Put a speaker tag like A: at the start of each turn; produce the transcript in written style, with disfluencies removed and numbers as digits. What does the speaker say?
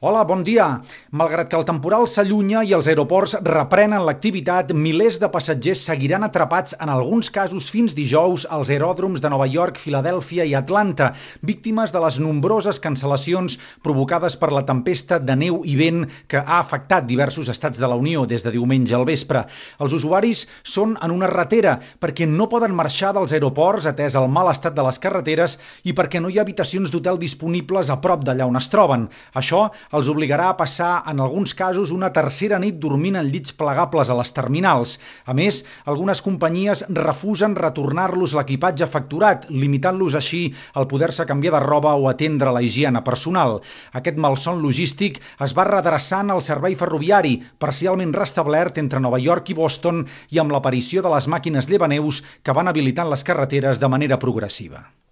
A: Hola, bon dia. Malgrat que el temporal s'allunya i els aeroports reprenen l'activitat, milers de passatgers seguiran atrapats en alguns casos fins dijous als aeròdroms de Nova York, Filadèlfia i Atlanta, víctimes de les nombroses cancel·lacions provocades per la tempesta de neu i vent que ha afectat diversos estats de la Unió des de diumenge al vespre. Els usuaris són en una ratera perquè no poden marxar dels aeroports atès el mal estat de les carreteres i perquè no hi ha habitacions d'hotel disponibles a prop d'allà on es troben. Això els obligarà a passar, en alguns casos, una tercera nit dormint en llits plegables a les terminals. A més, algunes companyies refusen retornar-los l'equipatge facturat, limitant-los així el poder-se canviar de roba o atendre la higiene personal. Aquest malson logístic es va redreçant al servei ferroviari, parcialment restablert entre Nova York i Boston i amb l'aparició de les màquines llevaneus que van habilitant les carreteres de manera progressiva.